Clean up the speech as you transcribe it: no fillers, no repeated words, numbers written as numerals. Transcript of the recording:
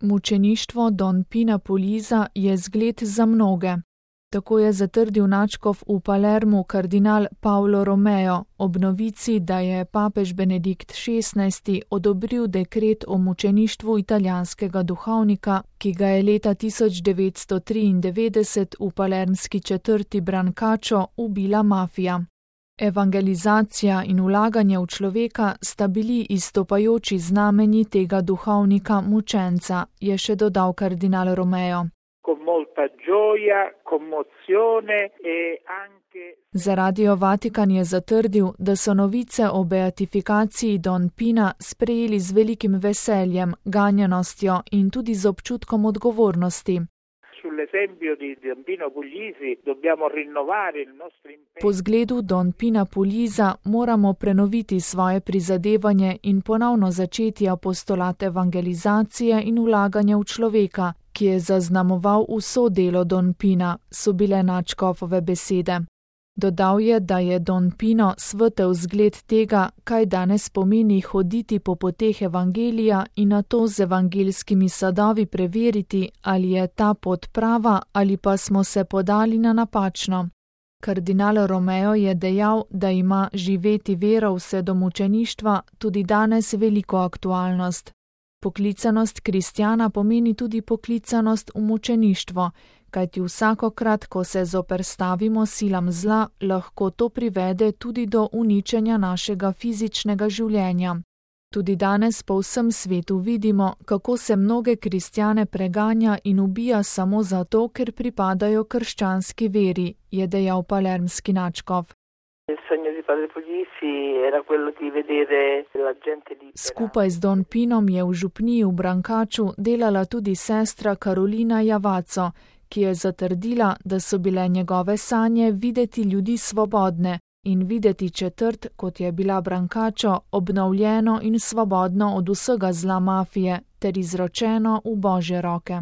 Mučeništvo Don Pina Puliza je zgled za mnoge. Tako je zatrdil nadškof v Palermu kardinal Paolo Romeo ob novici, da je papež Benedikt XVI odobril dekret o mučeništvu italijanskega duhovnika, ki ga je leta 1993 v palermski četrti Brancaccio ubila mafija. Evangelizacija in vlaganje v človeka sta bili izstopajoči znamenji tega duhovnika mučenca, je še dodal kardinal Romeo. Za Radio Vatikan je zatrdil, da so novice o beatifikaciji Don Pina sprejeli z velikim veseljem, ganjenostjo in tudi z občutkom odgovornosti. Po zgledu Don Pina Puliza moramo prenoviti svoje prizadevanje in ponovno začeti apostolat evangelizacije in vlaganja v človeka, ki je zaznamoval vso delo Don Pina, so bile nadškofove besede. Dodal je, da je Don Pino svetel zgled tega, kaj danes pomeni hoditi po poteh evangelija in na to z evangeljskimi sadovi preveriti, ali je ta pot prava ali pa smo se podali na napačno. Kardinal Romeo je dejal, da ima živeti vero vse do mučeništva tudi danes veliko aktualnost. Poklicanost kristjana pomeni tudi poklicanost v mučeništvo, kajti vsakokrat, ko se zoperstavimo silam zla, lahko to privede tudi do uničenja našega fizičnega življenja. Tudi danes po vsem svetu vidimo, kako se mnoge kristjane preganja in ubija samo zato, ker pripadajo krščanski veri, je dejal palermski nadškof. Skupaj z Don Pinom je v župniji v Brancacciu delala tudi sestra Carolina Javaco, ki je zatrdila, da so bile njegove sanje videti ljudi svobodne in videti četrt, kot je bila Brancaccio, obnovljeno in svobodno od vsega zla mafije ter izročeno v Božje roke.